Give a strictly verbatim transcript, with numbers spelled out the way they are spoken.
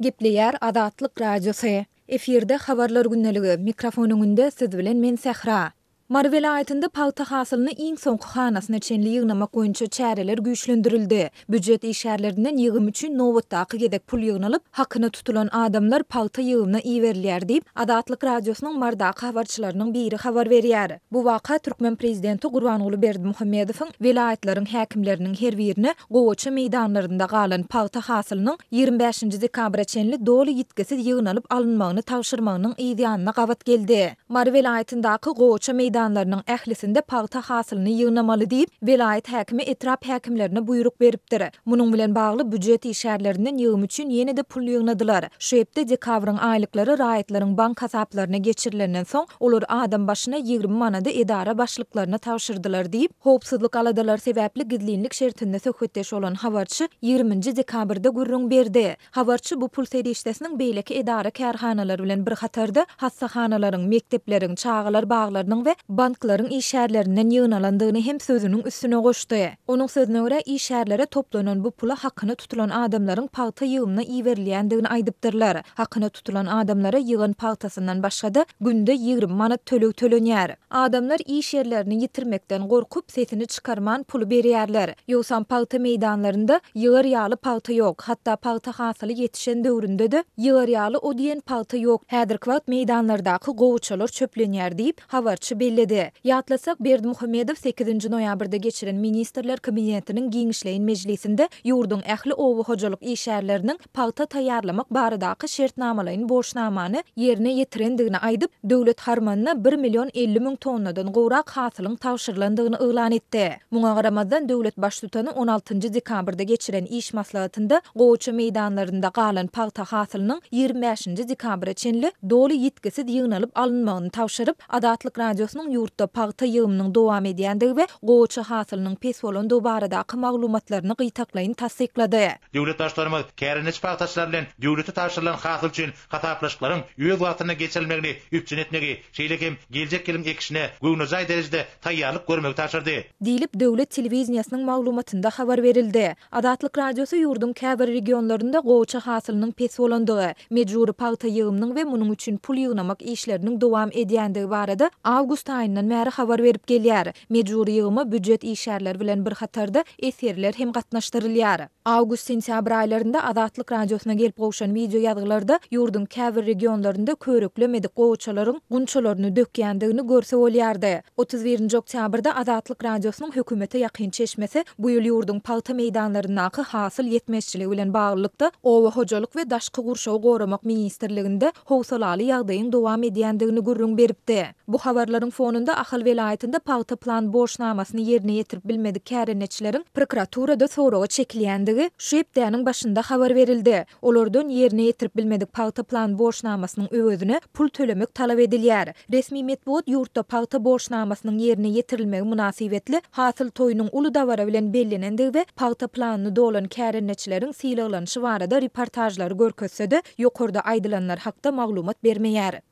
Gepleýär Azatlyk Radiosy. Efirde Habarlar gündeligi, mikrofon öňünde siz bilen men Sähra. Mary welaýatynda pagta hasylyny iň soňky hanasyna çenli ýygnamak boýunça çäreler güýçlendirildi. Býujet işgärlerinden ýygym üçin nobatdaky gezek pul ýygnalyp, hakyna tutulan adamlar pagta ýygymyna iberilýär diýip, Azatlyk Radiosynyň Mardaky habarçylarynyň biri habar berýär. Bu waka türkmen prezidenti Gurbanguly Berdimuhamedowyň welaýatlaryň häkimleriniň her birine gowaça meýdanlarynda galan pagta hasylynyň ýigrimi bäşinji dekabra çenli doly ýitgisiz ýygnalyp alynmagyny tabşyrmagynyň yz ýanyna gabat geldi. Mary welaýatyndaky gowaça meýdanlarynyň ählisinde pagta hasylyny ýygnamaly diýip, welaýat häkimi etrap häkimlerine buýruk beripdir. Munuň bilen bagly býujet işgärlerinden ýygym üçin ýene-de pul ýygnadylar. Şu hepde dekabryň aýlyklary raýatlaryň bank hasaplaryna geçirilenden soň, olar adam başyna ýigrimi manady edara başlyklaryna tabşyrdylar diýip, howpsuzlyk aladalary sebäpli gizlinlik şertinde söhbetdeş bolan habarçy ýigriminji dekabrda gürrüň berdi. Habarçy bu pul serişdesiniň beýleki edara-kärhanalar bilen bir hatarda hassahanalaryň, mekdepleriň, çagalar baglarynyň we banklaryň işgärlerinden ýygnalandygyny hem sözüniň üstüne goşdy. Onuň sözüne görä, işgärlere toplanan bu pula hakyna tutulan adamlaryň pagta ýygymyna iberilýändigini aýdypdyrlar. Hakyna tutulan adamlara ýygan pagtasyndan başga-da, günde ýigrimi manat töleg tölenýär. Adamlar iş ýerlerini ýitirmekden gorkup, sesini çykarman puly berýärler. Ýogsam pagta meýdanlarynda ýygar ýaly pagta ýok. Hatda pagta hasyly ýetişen döwründe-de ýygar ýaly o diýen pagta ýok. Häzirki wagt meýdanlardaky gowaçalar çöplenýär diýip, habarçy belledi. Ýatlasak, Berdimuhamedow sekizinji noýabrda geçiren Ministrler Kabinetiniň giňişleýin mejlisinde ýurduň ähli oba hojalyk işgärleriniň pagta taýýarlamak baradaky şertnamalaýyn borçnamany ýerine ýetirendigini aýdyp, döwlet harmanyna bir million elli müň tonnadan gowrak hasylyň tabşyrylandygyny yglan etdi. Muňa garamazdan, döwlet Baştutany on altynjy dekabrda geçiren iş maslahatynda gowaça meýdanlarynda galan pagta hasylynyň ýigrimi bäşinji dekabra çenli doly ýitgisiz ýygnalyp alynmagyny tabşyryp, Azatlyk Radiosynyň ýurtda pagta ýygymynyň dowam edýändigi we gowaça hasylynyň pes bolandygy baradaky maglumatlaryny gytaklaýyn tassyklady. Döwlet Baştutanymyz kärendeçi pagtaçylar bilen döwlete tabşyrylan hasyl üçin hasaplaşyklaryň öz wagtynda geçirilmegini üpjün etmegi, şeýle hem geljek ýylyň ekişine göwnejaý derejede taýýarlyk görmegi tabşyrdy. Diýlip, döwlet telewideniýesiniň maglumatynda habar berildi. Azatlyk Radiosy ýurduň käbir regionlarynda gowaça hasylynyň pes bolandygy, mejbury pagta ýygymynyň we munuň üçin pul ýygnamak işleriniň dowam edýändigi barada awgust aýyndan bäri habar berip gelýär. Mejbury ýygyma býujet işgärleri bilen bir hatarda esgerler hem gatnaşdyrylýar. Awgust-sentýabr aýlarynda Azatlyk Radiosyna gelip gowşan wideo ýazgylarda ýurduň käbir regionlarynda körüklemedik gowaçalaryň gunçalaryny dökýändigini görse bolýardy. Otuz birinji oktýabrda Azatlyk Radiosynyň hökümete ýakyn çeşmesi bu ýyl ýurduň pagta meýdanlaryndaky hasyl ýetmezçiligi bilen baglylykda Oba hojalyk we daşky gurşawy goramak ministrliginde howsalaly ýagdaýyň dowam edýändigini gürrüň beripdi. Bu habarlaryň fonunda Ahal welaýatynda pagta plan borçnamasyny ýerine ýetirip bilmedik kärendeçileriň prokuraturada soraga çekilýändigi şu hepdäniň başynda habar berildi. Olardan ýerine ýetirip bilmedik pagta plan borçnamasynyň öwezine pul tölemek talap edilýär. Resmi metbugat ýurtda pagta borçnamasynyň ýerine ýetirilmegi mynasybetli hasyl toýunyň uly dabara bilen bellenendigi we pagta planyny dolan kärendeçileriň sylaglanyşy barada reportažlary görkezse-de, ýokarda aýdylanlar hakda maglumat bermeýär.